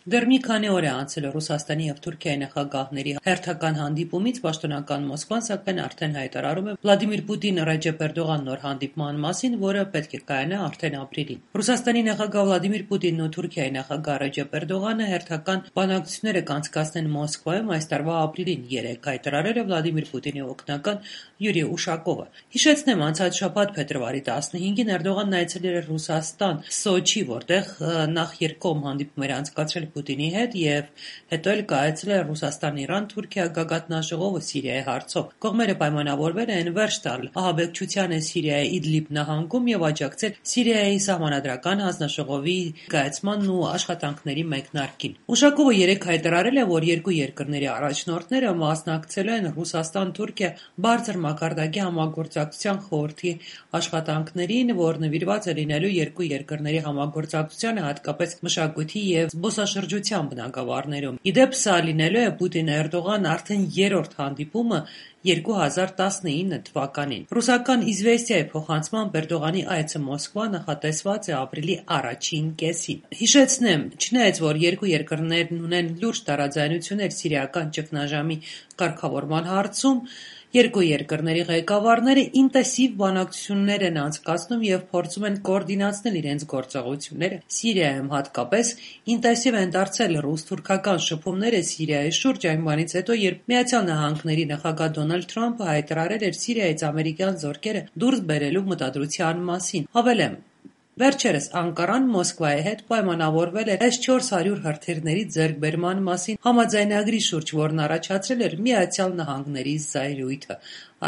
Դեռ մի քանի օր է անցել Ռուսաստանի և Թուրքիայի նախագահների հերթական հանդիպումից, պաշտոնական Մոսկվան սակայն արդեն հայտարարում է Վլադիմիր Պուտին-Ռեջեփ Էրդողան նոր հանդիպման մասին, որը պետք է կայանա արդեն ապրիլին։ Ռուսաստանի նախագահ Վլադիմիր Պուտինն ու Թուրքիայի նախագահ Ռեջեփ Էրդողանը հերթական բանակցություններ կանցկացնեն Մոսկվայում այս տարվա ապրիլին, երեկ հայտարարել է Վլադիմիր Պուտինի օգնական Յուրի Ուշակովը։ Հիշեցնեմ, անցած շաբաթ փետրվարի 15-ին Էրդողանն այցելել էր Ռուսաստան, Սոչի, որտեղ նախ երկկողմ հանդիպում էր անցկացրել Պուտինի հետ և հետո էլ կայացրել Ռուսաստան-Իրան-Թուրքիա գագաթնաժողովը Սիրիայի հարցով։ Կողմերը պայմանավորվել են վերջ տալ ահաբեկչությանը Սիրիայի Իդլիբ նահանգում և աջակցել Սիրիայի սահմանադրական հանձնաժողովի կայացմանն ու աշխատանքների մեկնարկին։ Ուշակովը երեկ հայտարարել է, որ երկու երկրների առաջնորդները մասնակցել են Ռուսաստան-Թուրքիա բարձր մակարդակի համագործակցության խորհրդի աշխատանքներին, որ նվիրված է լինելու երկու երկրների համագործակցությանը, հատկապես մշակույթի և զբոսաշրջության բնագավառներում։ Ի դեպ, սա լինելու է Պուտին-Էրդողան արդեն երրորդ հանդիպումը 2019 թվականին։ Ռուսական «Իզվեստիայի» փոխանցմամբ Էրդողանի այցը Մոսկվա նախատեսված է ապրիլի առաջին կեսին։ Հիշեցնեմ, չնայած որ երկու երկրներն ունեն լուրջ տարաձայնություններ սիրիական ճգնաժամի կարգավորման հարցում, երկու երկրների ղեկավարները ինտենսիվ բանակցություններ են անցկացնում և փորձում են կոորդինացնել իրենց գործողությունները Սիրիայում, հատկապես ինտենսիվ են դարձել ռուս-թուրքական շփումները Սիրիայի շուրջ այն բանից հետո, երբ ԱՄՆ նախագահ Դոնալդ Թրամփը հայտարարել էր Սիրիայից ամերիկյան զորքերը դուրս բերելու մտադրության մասին։ Հավելեմ, վերջերս Անկարան Մոսկվայի հետ պայմանավորվել էր S-400 հրթիռների ձեռքբերման մասին համաձայնագրի շուրջ, որն առաջացրել էր ԱՄՆ զայրույթը։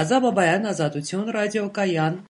Ազա Բաբայան, Ազատություն, ռադիոկայան։